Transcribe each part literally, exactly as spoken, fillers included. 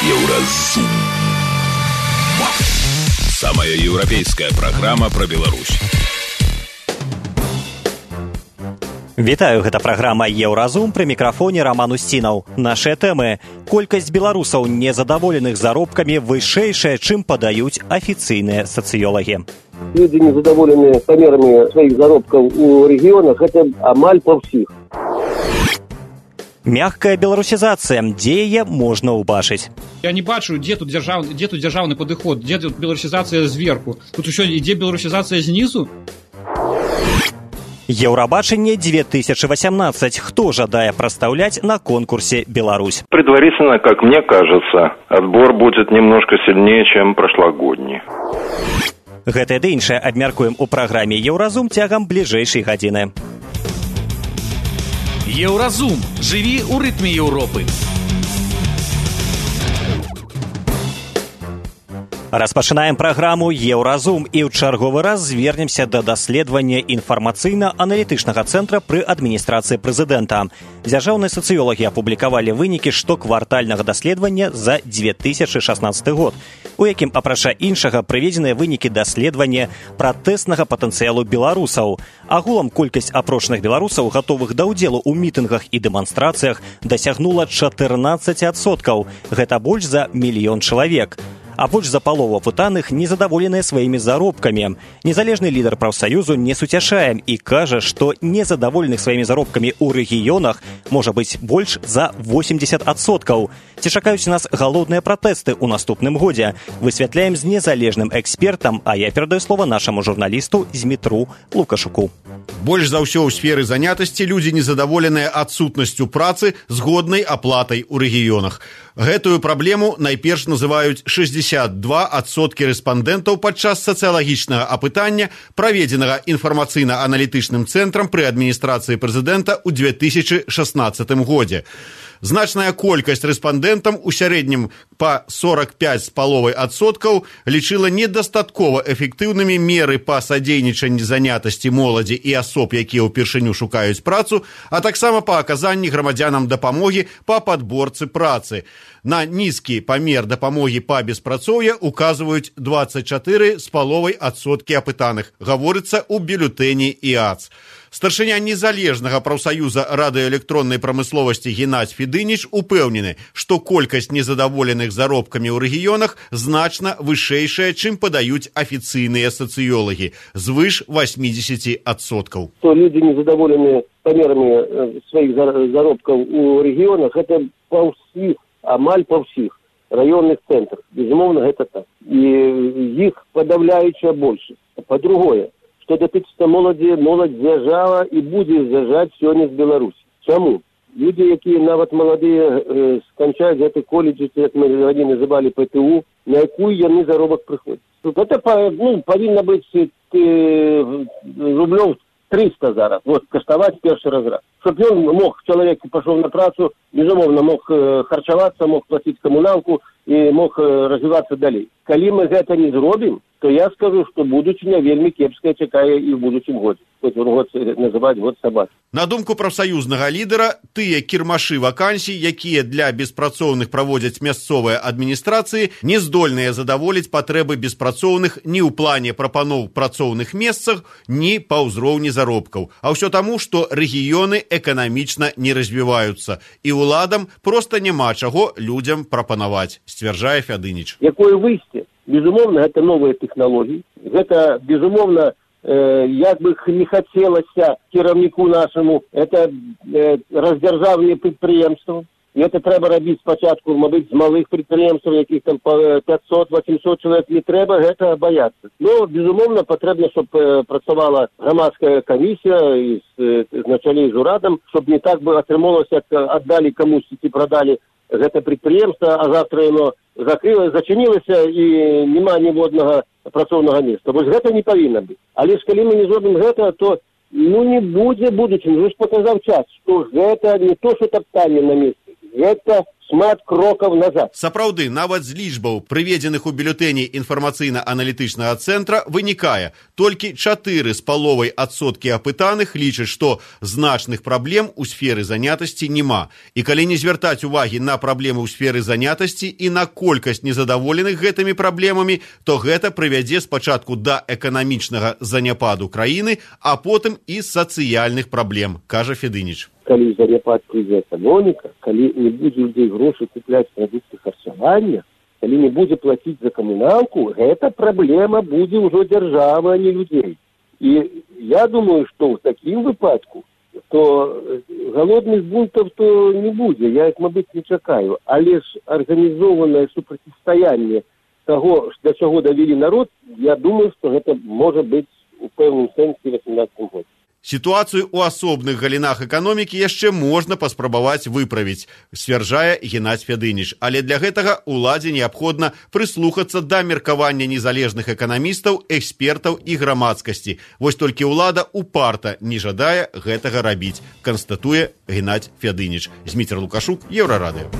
Еўразум. Самая еўрапейская праграма пра Беларусь. Вітаю, гэта праграма «Еўразум», пры мікрафоне Роман Устінаў. Нашыя тэмы. Колькасць беларусаў, незадаволеных заробкамі, вышэйшая, чым падаюць афіцыйныя сацыёлагі. Людзі незадаволеныя памерамі сваіх заробкаў у рэгіёнах, гэта амаль па ўсіх. Мягкая беларусізацыя, дзе яе можна ўбачыць? Я не бачу, дзе тут дзяржаўны, дзе тут дзяржаўны падыход, дзе тут беларусізацыя зверху. Тут усё ідзе беларусізацыя знізу. Еўрабачанне две тысячи восемнадцать. Кто жадае прадстаўляць на конкурсе «Беларусь»? Предварительно, как мне кажется, отбор будет немножко сильнее, чем прошлогодний. Гэтае ды іншае абмяркуем у праграме «Еўразум» цягам бліжэйшай гадзіны. Еўразум. Жыві ў рытме Еўропы. Распачынаем праграму «Еўразум» і ў чарговы раз звернемся да даследавання інфармацыйна-аналітычнага цэнтра пры адміністрацыі прэзідэнта. Дзяржаўныя сацыёлагі апублікавалі вынікі штоквартальнага даследавання за две тысячи шаснаццаты год, у якім, апрача іншага, прыведзеныя вынікі даследавання пратэснага патэнцыялу беларусаў. Агулам колькасць апрошаных беларусаў, гатовых да ўдзелу ў мітынгах і дэманстрацыях, дасягнула чатырнаццаць адсоткаў. Гэта больш за мільён чалавек. А больш за палову апытаных незадаволеныя сваімі заробкамі. Незалежны лідар прафсаюзу не суцяшае і кажа, што незадаволеных сваімі заробкамі ў рэгіёнах можа быць больш за восемьдесят адсоткаў. Ці чакаюць нас галодныя пратэсты ў наступным годзе? Высвятляем з незалежным экспертам, а я перадаю слова нашаму журналісту Змітру Лукашуку. Больш за ўсё ў сферы занятасці людзі незадаволеныя адсутнасцю працы з годнай аплатай у рэгіёнах. Гэтую праблему найперш называюць шэсцьдзесят два адсоткі рэспандэнтаў падчас сацыялагічнага апытання, праведзенага інфармацыйна-аналітычным цэнтрам пры адміністрацыі прэзідэнта ў две тысячи шаснаццатым годзе. Значная колькасць рэспандэнтам, у сярэднім па сорок пять з паловай адсоткаў, лічыла недастаткова эфектыўнымі меры па садзейнічанні занятасці моладзі і асоб, якія ўпершыню шукаюць працу, а таксама па аказанні грамадзянам дапамогі па падборцы працы. На нізкі памер дапамогі па беспрацоўя указваюць двадцать четыре з паловай адсоткі апытаных, гаворыцца ў бюлетэні ІАЦ. Старшыня незалежнага прафсаюза радыёэлектроннай прамысловасці Геннадзь Федыніч упэўнены, што колькасць незадаволеных заробкамі ў рэгіёнах значна вышэйшая, чым падаюць афіцыйныя сацыёлагі, звыш восемьдесят адсоткаў. То людзі незадаволеныя памерамі сваіх заробкаў у рэгіёнах, гэта па ўсіх, амаль па ўсіх раённых цэнтрах. Безумоўна, гэта так. І іх падаўляючая большасць. Па-другое, што датычыцца моладзі, моладзь з'язджала і будзе з'язджаць сёння з Беларусі. Чаму? Людзі, якія нават маладыя э, сканчаюць гэты колледж, як мы раней называлі ПТУ, на якую яны заробак прыходзяць. Гэта ну, павінна быць э, рублёў триста зараз, вот, каштаваць першы разрад. Чтоб ён мог, чалавек пашоў на працу, безумоўна, мог э, харчавацца, мог плаціць камуналку і мог э, развівацца далей. Калі мы гэта не зробім, то я скажу, што будучыня вельмі кепская чакае і ў будучым годзе. Хоць он год называць год сабакі. На думку прафсаюзнага лідара, тыя кірмашы вакансій, якія для беспрацоўных праводзяць мясцовыя адміністрацыі, не здольныя задаволіць патрэбы беспрацоўных ні ў плане прапаноў працоўных месцах, ні па ўзроўні заробкаў. А ўсё таму, што рэгіёны эканамічна не развіваюцца, і ўладам проста няма чаго людзям прапанаваць, сцвярджае Фядыніч. Якое выйсце? Безумоўна, гэта новыя тэхналогіі. Гэта, безумоўна, э, як бы не хацелася кіраўніку нашаму, это э, раздзяржаўныя прадпрыемствы. І гэта трэба рабіць спачатку, мабыць, з малых прадпрыемстваў, якіх там пятьсот восемьсот чалавек, не трэба гэта баяцца. Но, безумоўна, патрэбна, щоб э, працавала грамадская камісія і з, з началей з урадам, щоб не так бы атрымалася, як аддалі камусьці ці прадалі гэта прадпрыемства, а завтра яно закрылася, зачынілася і няма ніводнага працоўнага месца. Вось гэта не павінна быць. Але ж калі мы не зробім гэта, то ну не будзе будучыні. Уже ж паказаў час, што гэта не то, што таптанне на месцы. Гэта шмат крокаў назад. Сапраўды, нават з лічбаў, прыведзеных у бюлетэні інфармацыйна-аналітычнага цэнтра, вынікае, толькі чатыры з паловай адсоткі апытаных лічаць, што значных праблем у сферы занятасці няма. І калі не звяртаць увагі на праблемы ў сферы занятасці і на колькасць незадаволеных гэтымі праблемамі, то гэта прывядзе спачатку да эканамічнага заняпаду краіны, а потым і сацыяльных праблем, кажа Федыніч. Калі заняпад прыйдзе эканоміка, калі не будзе людзей грошай купляць прадукты харчавання, калі не будзе плаціць за камуналку, гэта праблема будзе ўжо дзяржавы, а не людзей. І я думаю, што ў такім выпадку, то галодных бунтаў то не будзе, я іх, мабыць, не чакаю. Але ж арганізованае супрацьстаянне таго, да чаго давялі народ, я думаю, што гэта можа быць у пэўным сэнсе васемнаццатым годзе. Сітуацыю ў асобных галінах эканомікі яшчэ можна паспрабаваць выправіць, сцвярджае Геннадзь Федыніч. Але для гэтага уладзе неабходна прыслухацца да меркавання незалежных эканамістаў, экспертаў і грамадскасці. Вось толькі ўлада упарта не жадае гэтага рабіць, канстатуе Геннадзь Федыніч. Зміцер Лукашук, Еўрарадыё.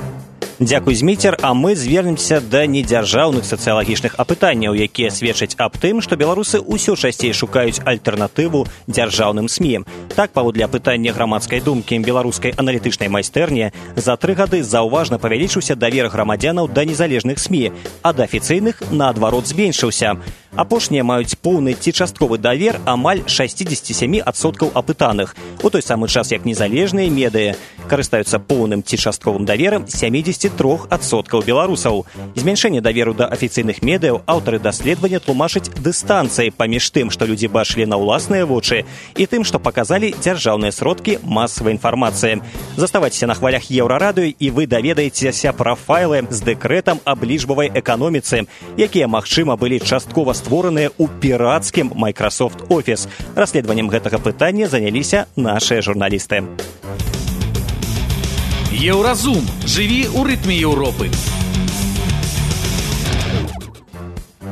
Дзякуй, Зміцер, а мы звернемся да недзяржаўных сацыялагічных апытанняў, якія сведчаць аб тым, што беларусы ўсё часцей шукаюць альтэрнатыву дзяржаўным СМІ. Так, паводле апытання грамадскай думкі беларускай аналітычнай майстэрні, за тры гады заўважна павялічыўся давер грамадзянаў да незалежных СМІ, а да афіцыйных, наадварот, зменшыўся. Апошнія маюць поўны ці частковы давер амаль шэсцьдзесят сем адсоткаў апытаных, у той самы час як незалежныя медыа карыстаюцца поўным ці частковым даверам сямдзесят три адсоткі беларусаў. Змяншэнне даверу да афіцыйных медыяў аўтары даследавання тлумачаць дыстанцыяй паміж тым, што людзі бачылі на ўласныя вочы, і тым, што паказалі дзяржаўныя сродкі масавай інфармацыі. Заставайцеся на хвалях Еўрарадыё, і вы даведаецеся пра файлы з дэкрэтам аб лічбавай эканоміцы, якія, магчыма, былі часткова створаныя ў пірацкім Microsoft Office. Расследаваннем гэтага пытання заняліся нашыя журналісты. Еўразум. Жыві ў рытме Еўропы.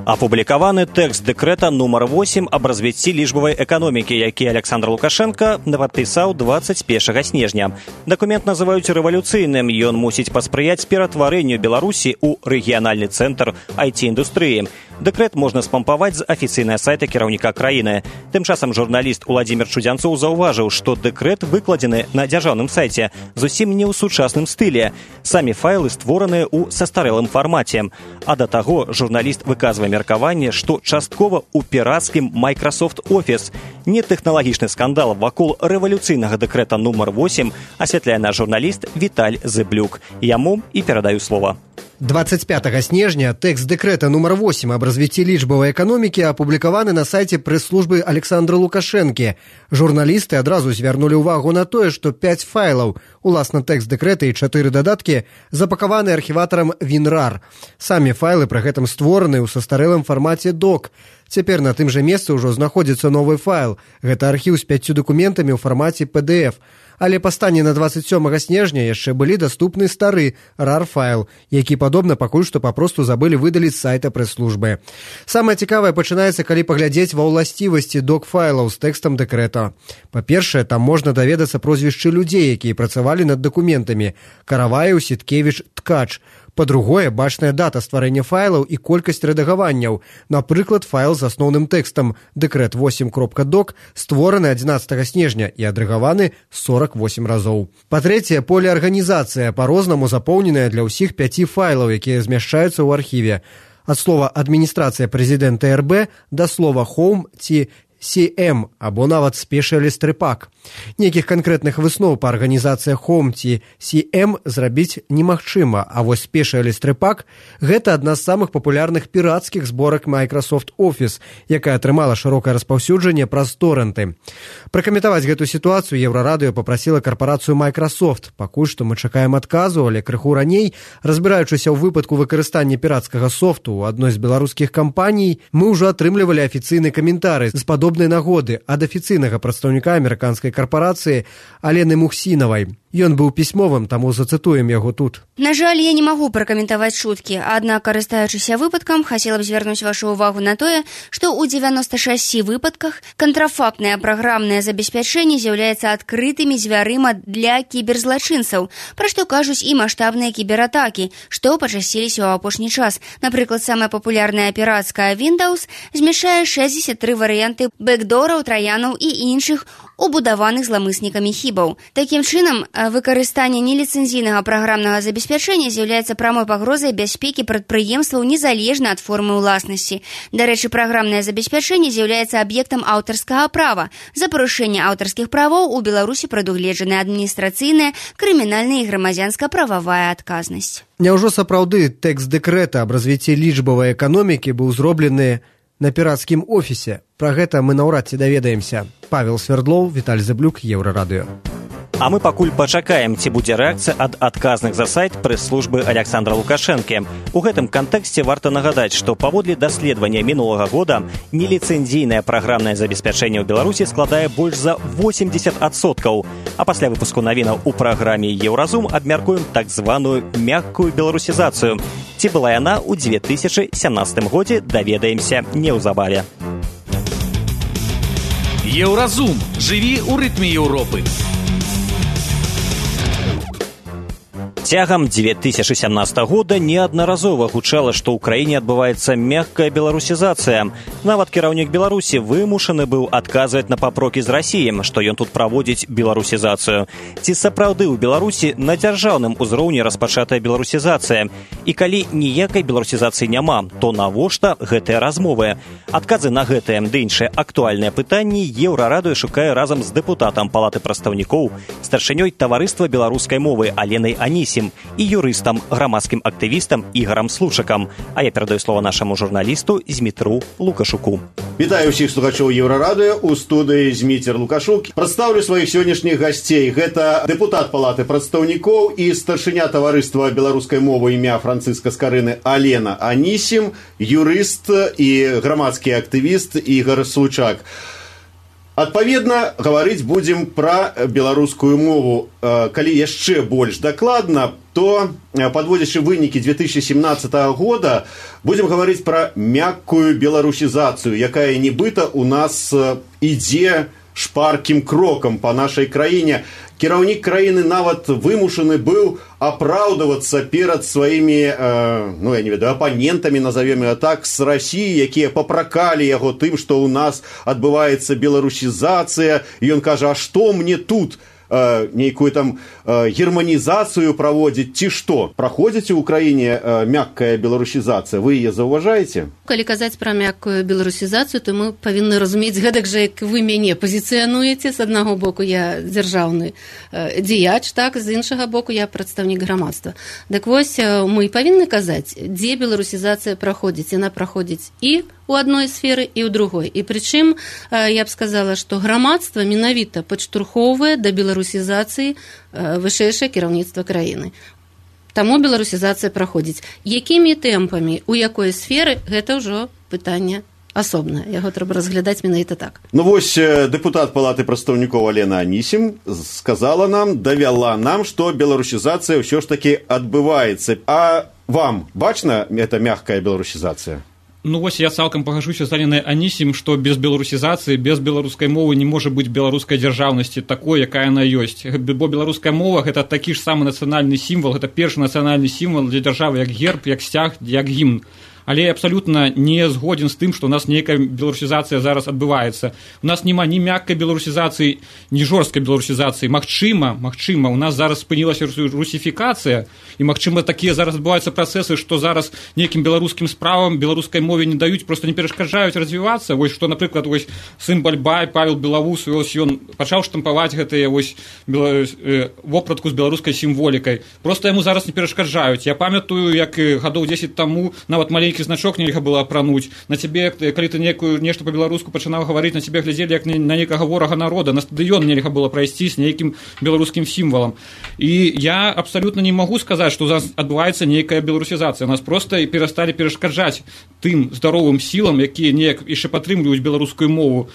Апублікаваны тэкст дэкрэта нумар восем аб развіцці лічбавай эканомікі, які Александр Лукашенко падпісаў дваццаць першага снежня. Дакумент называюць рэвалюцыйным. Ён мусіць паспрыяць ператварэнню Беларусі ў рэгіянальны цэнтр ай ти-індустрыі. Дэкрэт можна спампаваць з афіцыйнага сайта кіраўніка краіны. Тым часам журналіст Уладзімір Чудзянцоў заўважыў, што дэкрэт выкладзены на дзяржаўным сайце зусім не ў сучасным стылі. Самі файлы створаныя ў састарэлым фармаце. А да таго журналіст выказвае меркаванне, што часткова ў пірацкім Microsoft Office. Нетэхналагічны скандал вакол рэвалюцыйнага дэкрэта нумар восем асвятляе наш журналіст Віталь Зэблюк. Яму і перадаю слова. двадцать пятага снежня тэкст дэкрэта нумар восем аб развіцці лічбавай эканомікі апублікаваны на сайце прэс-службы Александра Лукашэнкі. Журналісты адразу звярнулі ўвагу на тое, што пяць файлаў, уласна тэкст дэкрэта і чатыры дадаткі, запакаваны архіватарам WinRAR. Самі файлы пры гэтым створаны ў састарэлым фармаце док. Цяпер на тым жа месцы ўжо знаходзіцца новы файл. Гэта архіў з пяццю дакументамі ў фармаце пі ді эф. Але па стане на двадцать сёмага снежня яшчэ былі даступны стары рар-файл, які, падобна, пакуль што папросту забылі выдаліць з сайта прэс-службы. Самае цікавае пачынаецца, калі паглядзець ва ўласцівасці док-файлаў з тэкстам дэкрэта. Па-першае, там можна даведацца прозвішчы людзей, якія працавалі над дакументамі: Караваеў, Сіткевіч, Ткач. Па-другое, бачная дата стварэння файлаў і колькасць рэдагаванняў. Напрыклад, файл з асноўным тэкстам дэкрэт восем кропка док створаны адзінаццатага снежня і адрэгаваны сорок восем разоў. Па-трэцяе, полеарганізацыя, па-рознаму запоўненая для ўсіх пяці файлаў, якія змяшчаюцца ў архіве. Ад слова «адміністрацыя прэзідэнта эр бэ» да слова «home» ці си эм або нават «Specialist Repack». Нейкіх канкрэтных высноў па арганізацыях Home ці си эм зрабіць немагчыма, а вось Specialist Repack – гэта адна з самых папулярных пірацкіх зборак Microsoft Office, якая атрымала шырокае распаўсюджанне праз торренты. Пракаментаваць гэту сітуацыю Еўрарадыё папрасіла карпарацыю Microsoft. Пакуль што мы чакаем адказу, але крыху раней, разбіраючыся ў выпадку выкарыстання пірацкага софту ў адной з беларускіх кампаній, мы ўжо атрымлівалі афіцыйны каментарый з падобным шлюбнай нагоды ад афіцыйнага прадстаўніка амерыканскай карпорацыі Алены Мухсінавай. Ён быў пісьмовым, таму зацытуем яго тут. На жаль, я не магу пракаментаваць шуткі, аднак, карыстаючыся выпадкам, хацела б звярнуць вашу ўвагу на тое, што ў дзевяноста шасці выпадках кантрафактнае праграмнае забеспячэнне з'яўляецца адкрытымі дзвярыма для кіберзлачынцаў, пра што кажуць і маштабныя кібератакі, што пачасціліся ў апошні час. Напрыклад, самая папулярная пірацкая Windows змяшчае шэсцьдзесят тры варыянты бэкдораў, траянаў і іншых убудаваных зламыснікамі хібаў. Такім чынам, выкарыстанне неліцэнзійнага праграмнага забеспячэння з'яўляецца прамой пагрозай бяспекі прадпрыемстваў незалежна ад формы ўласнасці. Дарэчы, праграмнае забеспячэнне з'яўляецца аб'ектам аўтарскага права. За парушэнне аўтарскіх правоў у Беларусі прадугледжаная адміністрацыйная, крымінальная і грамадзянска-прававая адказнасць. Няўжо сапраўды тэкст дэкрэта аб развіцці лічбавай эканомікі быў зроблены на пірацкім офісе? Пра гэта мы наўрад ці даведаемся. Павел Свердлоў, Віталь Зэблюк, Еўрарадыё. А мы пакуль пачакаем, ці будзе рэакцыя ад адказных за сайт прэс-службы Александра Лукашэнкі. У гэтым кантэксце варта нагадаць, што паводле даследавання мінулага года неліцэнзійнае праграмнае забеспячэнне ў Беларусі складае больш за восемьдесят адсоткаў. А пасля выпуску навінаў у праграме «Еўразум» абмяркуем так званую мяккую беларусізацыю. Ці была яна ў две тысячы сямнадцатым годзе, даведаемся неўзабаве. Еўразум. Жыві ў рытме Еўропы. Цягам две тысячи сямнадцатого года неаднаразова гучала, што ў краіне адбываецца мяккая беларусізацыя. Нават кіраўнік Беларусі вымушаны быў адказваць на папрокі з Расіі, што ён тут праводзіць беларусізацыю. Ці сапраўды ў Беларусі на дзяржаўным узроўні распачатая беларусізацыя? І калі ніякай беларусізацыі няма, то навошта гэтыя размовы? Адказы на гэтыя ды іншыя актуальныя пытанні Еўрарадыё шукае разам з дэпутатам Палаты прадстаўнікоў, старшынёй таварыства беларускай мовы Аленай Анісім і юрыстам, грамадскім актывістам Ігарам Слушакам. А я перадаю слова нашаму журналісту Змітру Лукашуку. Вітаю ўсіх слухачоў Еўрарадыё, у студыі Зміцер Лукашук. Прадстаўлю сваіх сённяшніх гасцей. Гэта дэпутат Палаты прадстаўнікоў і старшыня таварыства беларускай мовы імя Францыска Скарыны Алена Анісім, юрыст і грамадскі актывіст Ігар Слушак. Адпаведна, гаварыць будзем пра беларускую мову. Калі яшчэ больш дакладна, то, падводзячы вынікі две тысячи семнадцатого года, будзем гаварыць пра мяккую беларусізацыю, якая нібыта у нас ідзе шпаркім крокам па нашай краіне. Кіраўнік краіны нават вымушаны быў апраўдавацца перад сваімі, э, ну, я не ведаю, апанентамі, назовем я так, з Расіі, якія папракалі яго тым, што ў нас адбываецца беларусізацыя. І ён кажа, а што мне тут? Э, нейкую там э, германізацыю праводзіць, ці што? Праходзіць у краіне э, мяккая беларусізацыя? Вы яе заўважаеце? Калі казаць пра мяккую беларусізацыю, то мы павінны разумець гэтак жа, як вы мяне пазіцыянуеце. З аднаго боку я дзяржаўны э, дзеяч, так, з іншага боку я прадстаўнік грамадства. Дык вось, э, мы павінны казаць, дзе беларусізацыя праходзіць. Яна праходзіць і у адной сферы, і ў другой. І прычым, э, я б сказала, што грамадства менавіта падштурхоўвае да беларусізацыі э, вышэйшае кіраўніцтва краіны. Таму беларусізацыя праходзіць. Якімі тэмпамі, у якой сферы, гэта ўжо пытанне асобнае. Яго трэба разглядаць менавіта так. Ну вось, дэпутат Палаты прадстаўнікоў Алена Анісім сказала нам, давяла нам, што беларусізацыя ўсё ж такі адбываецца. А вам бачна эта мягкая беларусізацыя? Ну вось я цалкам пагажуся з Аленай Анісім, што без беларусізацыі, без беларускай мовы не можа быць беларускай дзяржаўнасці такой, якая яна ёсць. Бо беларуская мова гэта такі ж самы нацыянальны сімвал, гэта першы нацыянальны сімвал для дзяржавы, як герб, як сцяг, як гімн. Але я абсалютна не згоден з тым, што ў нас нейкая беларусізацыя зараз адбываецца. У нас няма ні мяккай беларусізацыі, ні жорсткай беларусізацыі. Магчыма, магчыма, у нас зараз спынілася русіфікацыя, і магчыма такія зараз адбываюцца працэсы, што зараз нейкім беларускім справам беларускай мове не даюць, проста не перашкаджаюць развівацца. Вось што, напрыклад, вось сын Бальбай, Павел Белавус, вось ён пачаў штампаваць гэтыя вось бела... вопратку з беларускай сімволікай. Проста яму зараз не перашкаджаюць. Я памятаю, як гадоў дзесяць таму нават маленькі нейкі значок нельга было апрануць, на цябе, калі ты некую нешта па-беларуску пачынаў гаварыць, на цябе глядзелі як на некага ворага народа, на стадыён нельга было прайсці з нейкім беларускім сімвалам. І я абсалютна не магу сказаць, што у нас адбываецца нейкая беларусізацыя. Нас проста перасталі перашкаджаць тым здаровым сілам, якія неяк яшчэ падтрымліваюць беларускую мову,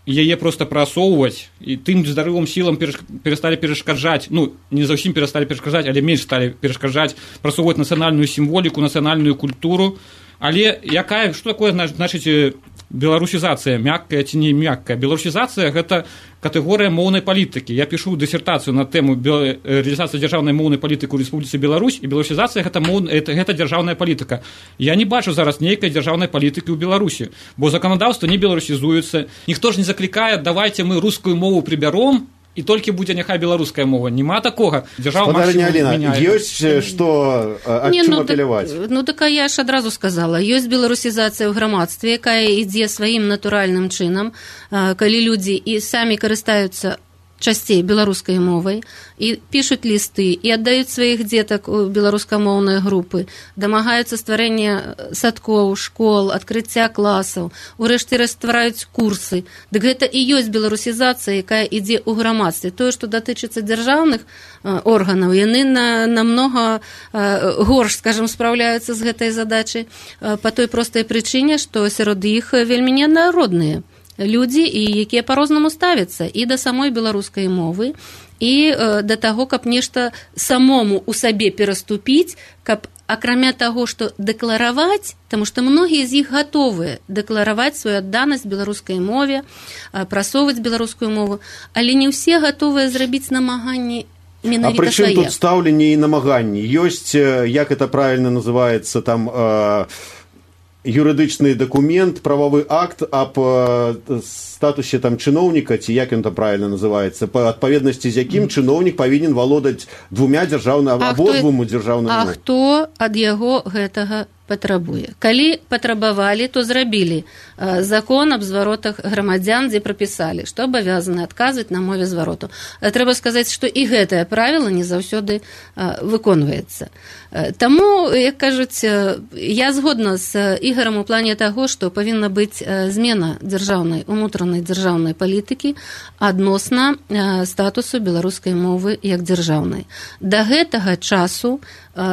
яе проста прасоўваць, і тым здаровым сілам перасталі перашкаджаць, ну, не заўсім перасталі перашкаджаць, але менш сталі перашкаджаць прасоўваць нацыянальную сімволіку, нацыянальную культуру. Але якая, што такое значыць беларусізацыя, мяккая ці не мяккая? Беларусізацыя – гэта катэгорыя моўнай палітыкі. Я пішу дысертацыю на тэму рэалізацыі дзяржаўнай моўнай палітыкі ў Рэспубліцы Беларусь, і беларусізацыя гэта, гэта, гэта дзяржаўная палітыка. Я не бачу зараз нейкай дзяржаўнай палітыкі ў Беларусі, бо заканадаўства не беларусізуецца. Ніхто ж не заклікае, давайте мы рускую мову прыбяром, і толькі будзе няхай беларуская мова. Нема такога. Дзяржава максімум мяняе. Ёсць што ад чым апеляваць? Ну, так я ж адразу сказала. Ёсць беларусізацыя ў грамадстве, якая ідзе сваім натуральным чынам, калі людзі і самі карыстаюцца часцей беларускай мовай і пішуць лісты і аддаюць сваіх дзетак у беларускамоўныя групы, дамагаюцца стварэння садкоў, школ, адкрыцця класаў, урэшце ствараюць курсы. Дык гэта і ёсць беларусізацыя, якая ідзе ў грамадстве. Тое, што датычыцца дзяржаўных органаў, яны на, намнога горш, скажем, спраўляюцца з гэтай задачай па той простай прычыне, што сярод іх вельмі ненародныя людзі, і якія па-рознаму ставяцца і да самой беларускай мовы, і э, да таго, каб нешта самому у сабе пераступіць, каб акрамя таго, што дэклараваць, таму што многія з іх гатовыя дэклараваць сваю адданасць беларускай мове, э, прасоўваць беларускую мову, але не ўсе гатовыя зрабіць намаганні менавіта свае. А прычым тут стаўленне і намаганні? Ёсць, як это правильно называется, там... Э... юрыдычны дакумент, правовы акт аб статусе там чыноўніка, ці як ён там правильно называецца, па адпаведнасці з якім чыноўнік павінен валодаць двумя дзяржаўнымі або двума дзяржаўнымі. А хто ад яго гэтага патрабуе? Калі патрабавалі, то зрабілі закон аб зваротах грамадзян, дзе прапісалі, што абавязаны адказваць на мове звароту. Трэба сказаць, што і гэтае правіла не заўсёды выконваецца. Таму, як кажуць, я згодна з Ігарам у плане таго, што павінна быць змена дзяржаўнай, унутранай дзяржаўнай палітыкі адносна статусу беларускай мовы як дзяржаўнай. Да гэтага часу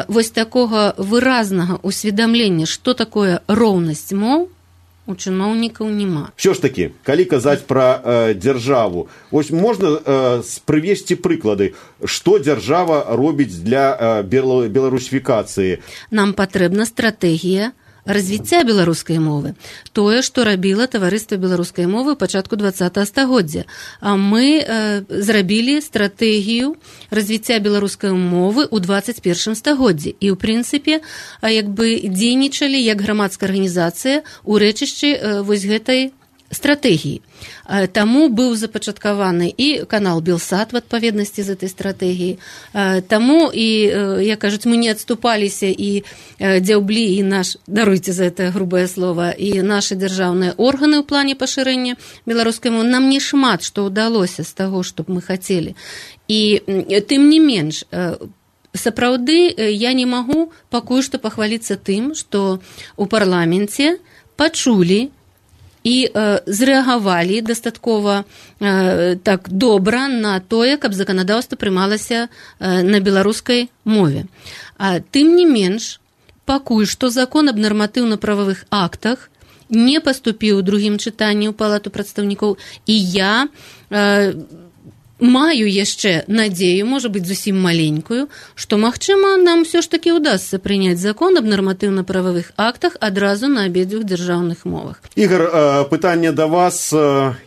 вось такога выразнага усведамлення, што такое роўнасць моў, у чыноўнікаў няма. Що ж такі, калі казаць пра э, дзяржаву, вось можна э, прывесці прыклады, што дзяржава робіць для э, беларусіфікацыі? Нам патрэбна стратэгія развіцця беларускай мовы. Тое, што рабіла таварыства беларускай мовы ў пачатку дваццатага стагоддзя. А мы э, зрабілі стратэгію развіцця беларускай мовы ў дваццаць першым стагоддзі. І, ў прынцыпе, як бы дзейнічалі як грамадская арганізацыя ў рэчышчы э, вось гэтай стратэгіі. Таму быў запачаткаваны і канал Белсат в адпаведнасці з этой стратэгіі. Таму і, як кажуць, мы не адступаліся і дзяўблі і наш, даруйце за это грубае слово, і нашы дзяржаўныя органы ў плане пашырэння беларускай мовы. Нам не шмат што ўдалося з таго, што б мы хацелі. І тым не менш, сапраўды я не магу пакуль што пахваліцца тым, што ў парламенце пачулі і э, зрэагавалі дастаткова э, так добра на тое, каб заканадаўства прымалася э, на беларускай мове. А тым не менш, пакуль што закон аб нарматыўна-прававых актах не паступіў у другім чытанні ў палату прадстаўнікоў, і я э, маю яшчэ надзею, можа быць, зусім маленькую, што, магчыма, нам ўсё ж такі ўдасца прыняць закон аб нарматыўна-прававых актах адразу на абедзвюх дзяржаўных мовах. Ігар, пытанне да вас.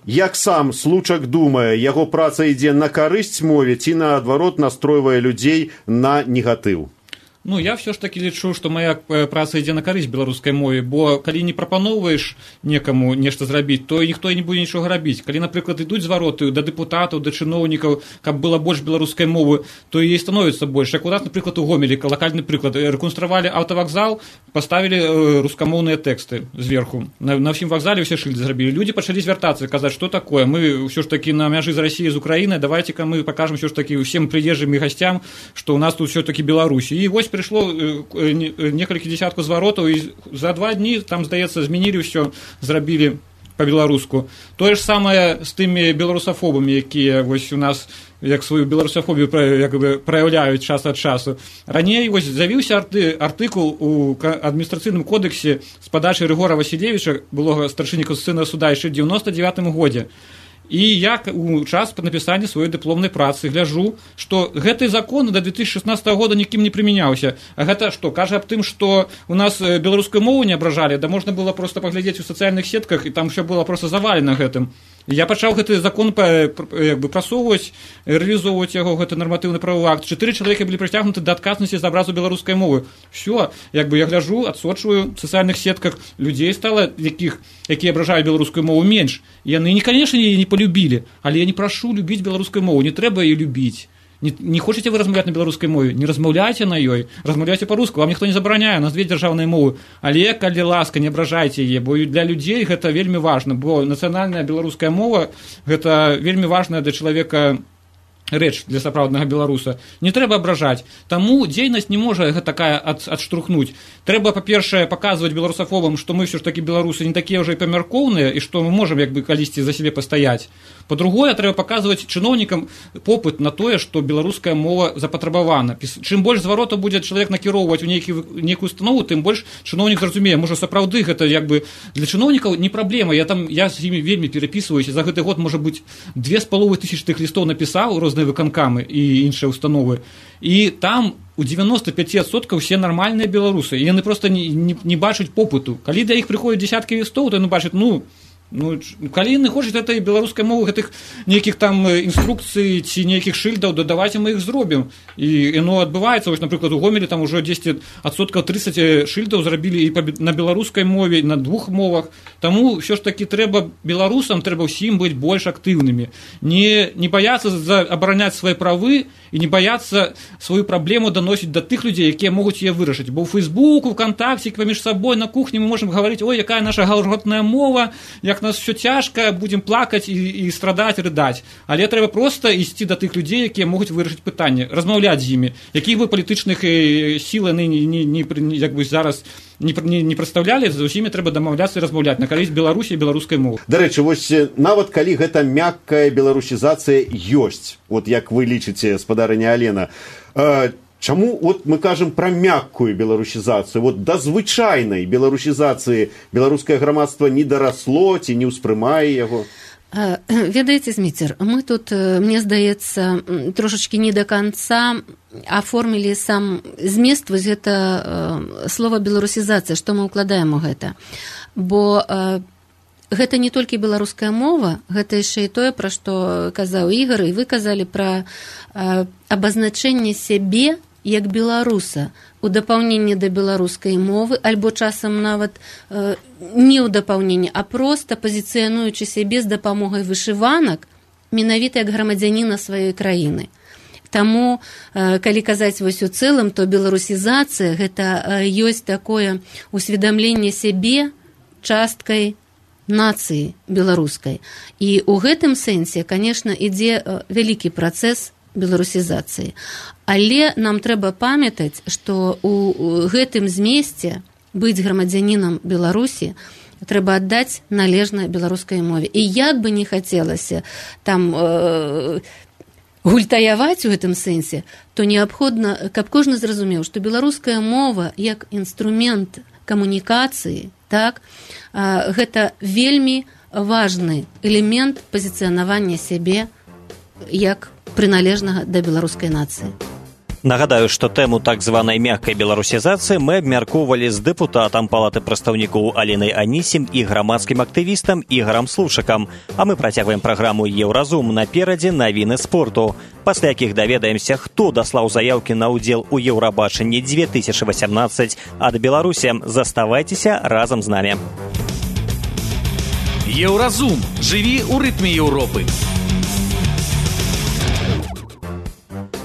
Як сам Случак думае, яго праца ідзе на карысць мове ці, наадварот, настройвае людзей на негатыў? Ну, я все ж таки лічу, што моя праца ідзе на карысць беларускай мове, бо калі не прапаноўваеш некаму нешта зрабіць, то ніхто і не будзе нічога рабіць. Калі, напрыклад, ідуць звароты да дэпутатаў, да чыноўнікаў, каб было больш беларускай мовы, то і становіцца больш. Як у нас, напрыклад, у Гомелі, лакальны прыклад, рэконструавалі аўтавакзал, поставілі рускамоўныя тэксты зверху. На, на ўсім вакзале ўсе шыльды зрабілі. Людзі пачалі звяртацца, казаць, што такое. Мы ўсё ж такі на мяжы з Расіяй, з Украінай, давайце-ка мы пакажам ўсё ж такі ўсім прыезджым і гасцям, што ў нас тут ўсё такі Беларусь. І вось прыйшло некалькі дзесяткаў зваротаў, і за два дні, там, здаецца, змянілі ўсё, зрабілі па-беларуску. Тое ж самае з тымі беларусафобамі, якія вось у нас як сваю беларусафобію як бы праяўляюць час ад часу. Раней вось з'явіўся арты, артыкул у адміністрацыйным кодексе з падачы Рыгора Васілевіча, былога старшыні Констытуцыйнага суда, яшчэ ў дзевяноста дзевятым годзе. І я у час напісання сваёй дыпломнай працы гляжу, што гэты закон да две тысячи шестнадцатого года нікім не прымяняўся. А гэта што? Кажа аб тым, што у нас беларускую мову не абражалі, да можна было проста паглядзець у сацыяльных сетках, і там ўсё было проста завалена гэтым. Я пачаў гэты закон як бы прасоўваць, рэалізоўваць яго, гэты нарматыўны правовы акт. Чатыры чалавека былі прыцягнуты да адказнасці за абразу беларускай мовы. Всё, як бы я гляжу, адсочваю в сацыяльных сетках, людзей стала, якіх, якія абражаюць беларускую мову, менш. Яны, конечно, яе не полюбілі, але я не прашу любіць беларускую мову, не трэба яе любіць. Не, не хочаце вы размаўляць на беларускай мове, не размаўляйце на ёй, размаўляйце па-руску, вам ніхто не забараняе, у нас две дзяржаўныя мовы, але, калі ласка, не абражайце яе, бо для людзей гэта вельмі важна, бо нацыянальная беларуская мова гэта вельмі важная для чалавека рэч, для сапраўднага беларуса. Не трэба абражаць, таму дзейнасць не можа такая ад, адштурхнуць. Трэба, па-першае, паказваць беларусафобам, што мы ўсё ж такі беларусы не такія ўжо і памяркоўныя, і што мы можам як бы калісьці за сябе пастаяць. Па-другое, трэба паказваць чыноўнікам попыт на тое, што беларуская мова запатрабавана. Чым больш зваротаў будзе чалавек накіроўваць у нейкі, нейкую установу, тым больш чыноўнік зразумее. Можа, сапраўды гэта як бы для чыноўнікаў не праблема. Я там я з імі вельмі перапісваюся. За гэты год, можа быць, две з паловай тысячы тых лістоў напісаў розныя выканкамы і іншыя установы. І там у девяносто пять процентов все нормальные белорусы. И они просто не, не, не бачать попыту. Когда до них приходят десятки листов, то они бачат, ну, ну, калі яны хочуць этой беларускай мовы, гэтых нейкіх там інструкцый ці нейкіх шыльдаў, да давайте мы іх зробім. І яно адбываецца, вось, напрыклад, у Гомелі там ужо дзесяць адсоткаў тридцать шыльдаў зрабілі і на беларускай мове, і на двух мовах. Таму ўсё ж такі трэба беларусам, трэба ўсім быць больш актыўнымі. Не, не баяцца абараняць свае правы і не баяцца сваю праблему даносіць да тых людзей, якія могуць яе вырашыць. Бо ў Фейсбуку, ВКонтакце, паміж сабой на кухні мы можам гаварыць, ой, якая наша галготная мова, як нас все цяжка, будзем плакаць і, і страдаць, рыдаць. Але трэба проста ісці да тых людзей, якія могуць вырашыць пытанне, размаўляць з імі. Якіх бы палітычных сіл яны не, не, не, як бы зараз не, не, не прадстаўлялі, з усімі трэба дамаўляцца і размаўляць на карысць Беларусі і беларускай мовы. Дарэчы, вось нават калі гэта мяккая беларусізацыя ёсць, от як вы лічыце, спадарыня Алена, э, чаму вот мы кажам пра мяккую беларусізацыю, вот да звычайнай беларусізацыі беларускае грамадства не дарасло ці не ўспрымае яго? Ведаеце, Зміцер, мы тут, мне здаецца, трошачкі не да канца аформілі сам змест, вось гэта слова беларусізацыя, што мы ўкладаем у гэта. Бо гэта не толькі беларуская мова, гэта яшчэ і тое, пра што казаў Ігар, і вы казалі пра абазначэнне сябе як беларуса у дапаўненні да беларускай мовы, альбо часам нават э, не ў дапаўненні, а проста пазіцыянуючы сябе з дапамогай вышыванак менавіта як грамадзяніна сваёй краіны. Таму, э, калі казаць вось у цэлым, то беларусізацыя гэта э, ёсць такое усведамленне сябе часткай нацыі беларускай. І ў гэтым сэнсе, канешне, ідзе э, вялікі працэс беларусізацыі. Але нам трэба памятаць, што ў гэтым змесце быць грамадзянінам Беларусі трэба аддаць належна беларускай мове. І як бы не хацелася там э, гультаяваць у гэтым сэнсе, то неабходна, каб кожны зразумеў, што беларуская мова як інструмент камунікацыі, так, э, гэта вельмі важны элемент пазіцыянавання сябе як прыналежнага да беларускай нацыі. Нагадаю, што тэму так званай мяккай беларусізацыі мы абмяркоўвалі з дэпутатам Палаты прадстаўнікоў Аленай Анісім і грамадскім актывістам Ігарам Слушакам. А мы працягваем праграму «Еўразум». Наперадзе навіны спорту, пасля якіх даведаемся, хто даслаў заяўкі на ўдзел у Еўрабачанні две тысячи восемнадцать ад Беларусі. Заставайцеся разам з намі. Еўразум. Жыві ў рытме Еўропы.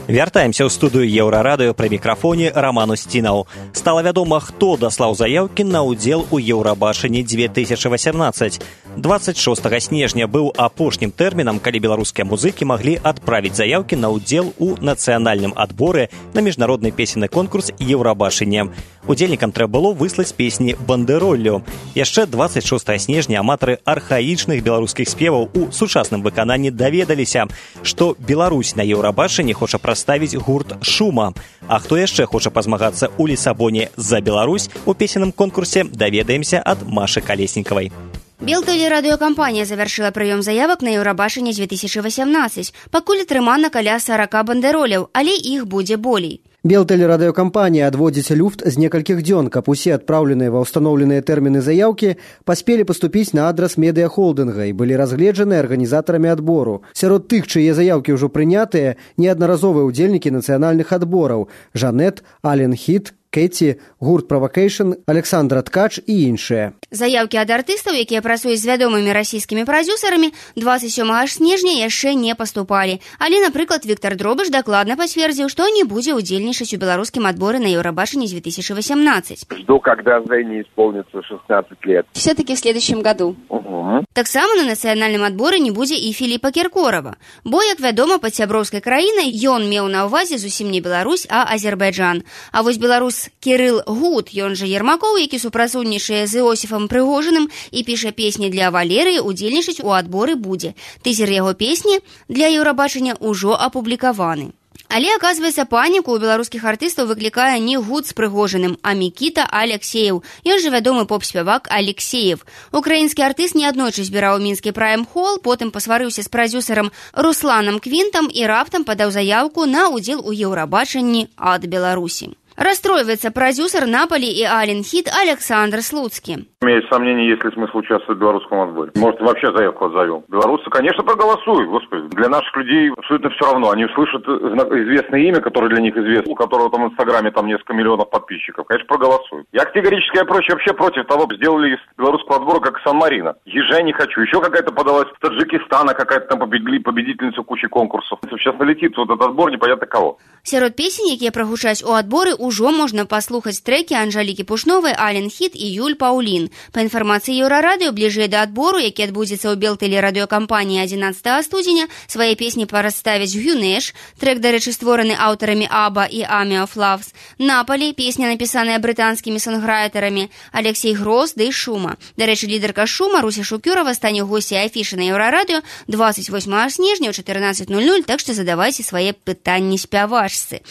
Вяртаемся ў студыю Еўрарадыё, пры мікрафоне Роман Устінаў. Стала вядома, хто даслаў заяўкі на ўдзел у Еўрабачанні две тысячи восемнадцать. двадцать шостага снежня быў апошнім тэрмінам, калі беларускія музыкі маглі адправіць заяўкі на ўдзел у нацыянальным адборы на міжнародны песенны конкурс Еўрабачання. Удзельнікам трэба было выслаць песні бандэроллю. Яшчэ двадцать шостага снежня аматары архаічных беларускіх спеваў у сучасным выкананні даведаліся, што Беларусь на Еўрабачанні хоча праставіць гурт «Шума». А хто яшчэ хоча пазмагацца ў Лісабоне за Беларусь у песенным конкурсе, даведаемся ад Машы Калеснікавай. Белтэлерадыёкампанія завяршыла прыём заявак на Еўрабачанне две тысячи восемнадцать. Пакуль атрымана каля сорока бандэролляў, але іх будзе болей. Белтэлерадыёкампанія адводзіць люфт з некалькіх дзён, каб усе адпраўленыя ва ўстаноўленыя тэрміны заяўкі паспелі паступіць на адрас медыяхолдынга і былі разгледжаны арганізатарамі адбору. Сярод тых, чые заяўкі ўжо прынятыя, неаднаразовыя ўдзельнікі нацыянальных адбораў: Жанет, Ален Хіт, Кэти, гурт Провокейшн, Александра Ткач і іншыя. Заяўкі ад артыстаў, якія працуюць з вядомымі расійскімі прадзюсарамі, двадцать сёмага снежня яшчэ не паступалі. Але, напрыклад, Віктор Дробыш дакладна пацвердзіў, што не будзе ўдзельнічаць у беларускім адборы на Еўрабачанне две тысячи восемнадцать. Жду, когда Жене исполнится шестнадцать лет. Все-таки в следующем году. Угу. Таксама на нацыянальным адборы не будзе і Філіпа Кіркорава. Бо, як вядома, пад сяброўскай краінай ён меў на ўвазе зусім не Беларусь, а Азербайджан. А вось беларус Кірыл Гуд, ён жа Ермакоў, які супрацоўнічае з Іосіфам Прыгожыным і піша песні для Валерыі, удзельнічаць у адборы будзе. Тызер яго песні для Еўрабачання ўжо апублікаваны. Але, аказваецца, паніку ў беларускіх артыстаў выклікае не Гуд з Прыгожыным, а Мікіта Алексеев. Ён жа вядомы поп-спявак Алексеев. Украінскі артыст неаднойчы збіраў мінскі прайм-хол, потым пасварыўся з прадзюсарам Русланам Квінтам і раптам падаў заяўку на ўдзел у Еўрабачанні ад Беларусі. Расстроивается продюсер Наполи и Ален Хит Александр Слуцкий. У меня есть сомнения, есть ли смысл участвовать в белорусском отборе. Может, вообще заявку отзовем. Белорусы, конечно, проголосуют, господи. Для наших людей абсолютно все равно. Они услышат известное имя, которое для них известно, у которого там в Инстаграме там несколько миллионов подписчиков. Конечно, проголосуют. Я категорически, я проще вообще против того, сделали из белорусского отбора как Сан-Марино. Ежа не хочу. Еще какая-то подалась с Таджикистана, какая-то там победительница кучи конкурсов. Сейчас налетит вот этот отбор, непонятно кого. Сярод песень, якія прагучаць у адборы, ужо можна паслухаць трекі Анжалікі Пушновай, Ален Хіт і Юль Паўлін. Па інфармацыі Еўрарадыё, бліжэй да адбору, які адбудзецца ў Белтэлерадыёкампаніі адзінаццатага студзеня, свае песні прадставяць Гюнеш, трек, дарэчы, створаны аўтарамі Аба і Army of Loves, Наполі, песня, напісаная брытанскімі сонграйтарамі, Алексей Гроз ды Шума. Дарэчы, лідарка Шума Руся Шукюрова стане госцей афішы на Еўрарадыё двадцать восьмага снежня ў чатырнаццаць ноль ноль, так што задавайце свае пытанні спявачцы.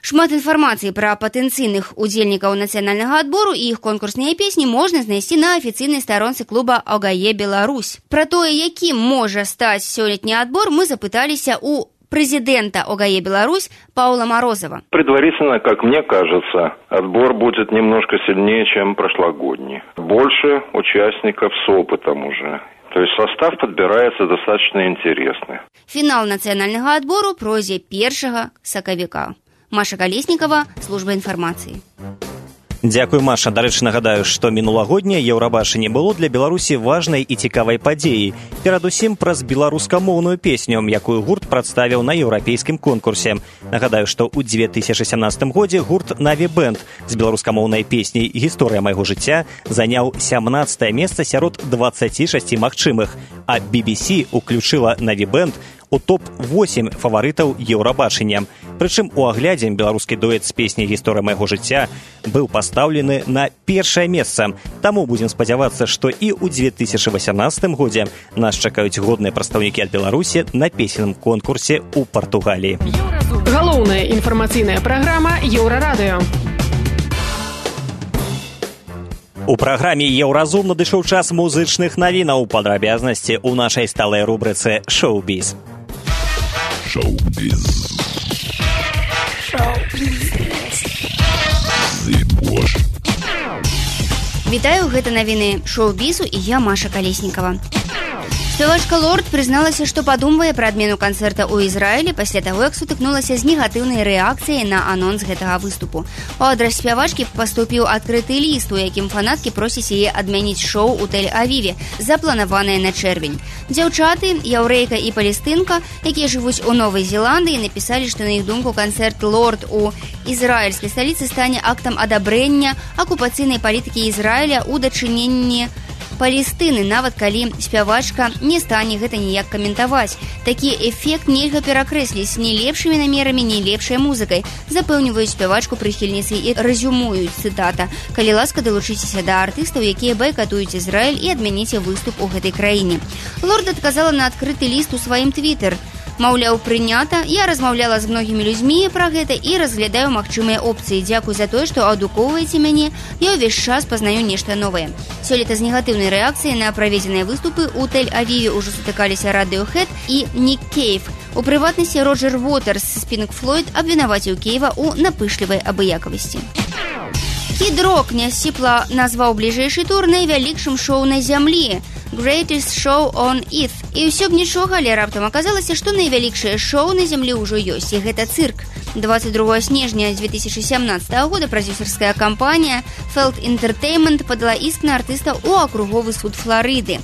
Шмат інфармацыі пра патэнцыйных удзельнікаў нацыянальнага адбору і іх конкурсныя песні можна знайсці на афіцыйнай старонцы клуба «Огае Беларусь». Пра тое, якім можа стаць сёлетні адбор, мы запыталіся у президента «Огае Беларусь» Паула Морозова. Предварительно, как мне кажется, отбор будет немножко сильнее, чем прошлогодний. Больше участников с опытом уже. То есть состав подбирается достаточно интересный. Фінал нацыянальнага адбору пройдзе першага сакавіка. Маша Калеснікава, служба інфармацыі. Дзякуй, Маша. Дарэчы, нагадаю, што мінулагодняе Еўрабачанне было для Беларусі важнай і цікавай падзеяй. Перадусім праз беларускамоўную песню, якую гурт прадставіў на еўрапейскім конкурсе. Нагадаю, што ў две тысячи сямнадцатым годзе гурт «Наві Бэнд» з беларускамоўнай песняй «Гісторыя майго жыцця» заняў сямнаццатае месца сярод дваццаці шасці магчымых, а би би сі уключыла «Наві Бэнд» у топ восемь фаварытаў Еўрабачання. Прычым у аглядзе беларускі дуэт з песняй «Гісторыя майго жыцця» быў пастаўлены на першае месца. Таму будзем спадзявацца, што і ў две тысячи восемнадцатым годзе нас чакаюць годныя прадстаўнікі ад Беларусі на песенным конкурсе ў Партугаліі. Галоўная інфармацыйная праграма Еўрарадыё. У праграме «Еўразум» надышоў час музычных навінаў. Падрабязнасці ў нашай сталай рубрыцы «Шоу-біз». Шоу-біз. Вітаю, гэта навіны шоу-бізу і я, Маша Калеснікава. Спявачка Лорд прызналася, што падумвае пра адмену канцэрта ў Ізраілі пасля таго, як сутыкнулася з негатыўнай рэакцыяй на анонс гэтага выступу. У адрас спявачкі паступіў адкрыты ліст, у якім фанаткі просяць яе адмяніць шоу ў Тель-Авіве, запланаванае на чэрвень. Дзяўчаты, яўрэйка і палестынка, якія жывуць у Новай Зеландыі, напісалі, што на іх думку канцэрт Лорд у ізраільскай сталіцы стане актам адабрэння акупацыйнай палітыкі Ізраіля ў дачыненні Палестыны, нават калі спявачка не стане гэта ніяк каментаваць. Такі эфект нельга перакрэсліць ні лепшымі намерамі, ні лепшай музыкай, запэўніваюць спявачку прыхільніцы і рэзюмуюць, цытата: «Калі ласка, далучыцеся да артыстаў, якія байкатуюць Ізраіль, і адмяніце выступ у гэтай краіне». Лорд адказала на адкрыты ліст у сваім твітэр. Маўляў, прынята, я размаўляла з многімі людзьмі пра гэта і разглядаю магчымыя опцыі. Дзякуй за тое, што адукоўваеце мяне, я ўвесь час пазнаю нешта новае. Сёлета з негатыўнай рэакцыяй на праведзеныя выступы ў Тель-Авіве ўжо сутыкаліся Radiohead і Ник Кейв. У прыватнасці Роджер Уотерс з Pink Floyd абвінаваціў Кейва ў напышлівай абыякавасці. Кід Рок нясціпла назваў бліжэйшы тур найвялікшым шоу на зямлі – Greatest Show on Earth. І ўсё б нічога, але раптам аказалася, што найвялікшае шоу на зямлі ўжо ёсць, і гэта цырк. двадцать другого снежня две тысячи семнадцатого года прадзюсарская кампанія Felt Entertainment падала іск на артыстаў у акруговы суд Флорыды.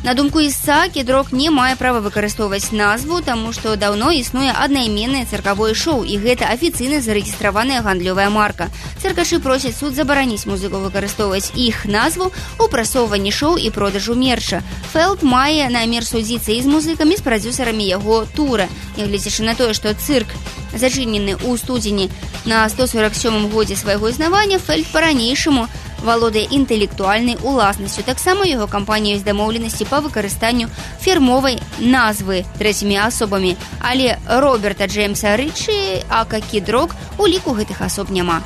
На думку ісца, Кід Рок не мае права выкарыстоўваць назву, таму што даўно існуе аднайменнае цыркавое шоу, і гэта афіцыйна зарэгістраваная гандлёвая марка. Цыркашы просяць суд забараніць музыку выкарыстоўваць іх назву ў прасоўванні шоу і продажу мерча. Фэлд мае намер судзіцца і з музыкамі, з прадзюсарамі яго тура. Нягледзячы на тое, што цырк зачынены ў студзені на сто сорок сёмым годзе свайго існавання, Фэлд па-ранейшаму валодае інтэлектуальнай уласнасцю. Таксама яго кампанія ёсць дамоўленасці па выкарыстанню фірмовай назвы трэцімі асобамі, але Роберта Джеймса Рычы, ака Кід Рок, у ліку гэтых асоб няма.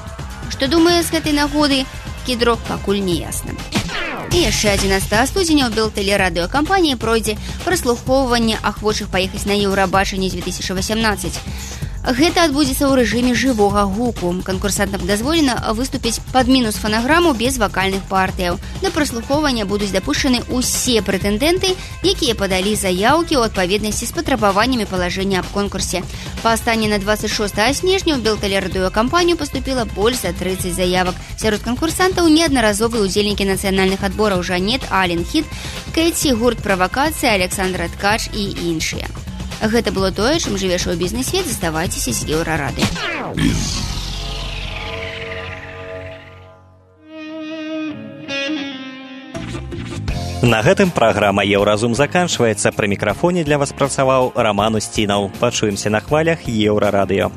Што думае з гэтай нагоды Кід Рок, пакуль не ясна. І яшчэ адзінаццатага студзеня ў Белтэлерадыёкампаніі пройдзе праслухоўванне ахвочых паехаць на Еўрабачанне две тысячи восемнадцать. Гэта адбудзецца ў рэжыме жывога гуку. Канкурсантам дазволена выступіць пад мінус фанаграму без вакальных партыяў. Да праслухоўвання будуць дапушчаны ўсе прэтэндэнты, якія падалі заяўкі ў адпаведнасці з патрабаваннямі палажэння аб конкурсе. Па стані на двадцать шостого снежня ў Белтэлерадыёкампанію паступіла больш за тридцать заявак. Сярод канкурсантаў неаднаразовыя удзельнікі нацыянальных адбораў Жанет, Ален Хіт, Кэці, гурт Правакацыя, Александра Ткач і іншыя. Гэта было тое, чым жыве шоу-бізнес-свет. Заставайцеся з Еўрарады. На гэтым праграма «Еўразум» заканчваецца. Пры мікрафоне для вас працаваў Раман Усцінаў. Пачуемся на хвалях Еўрарадыё.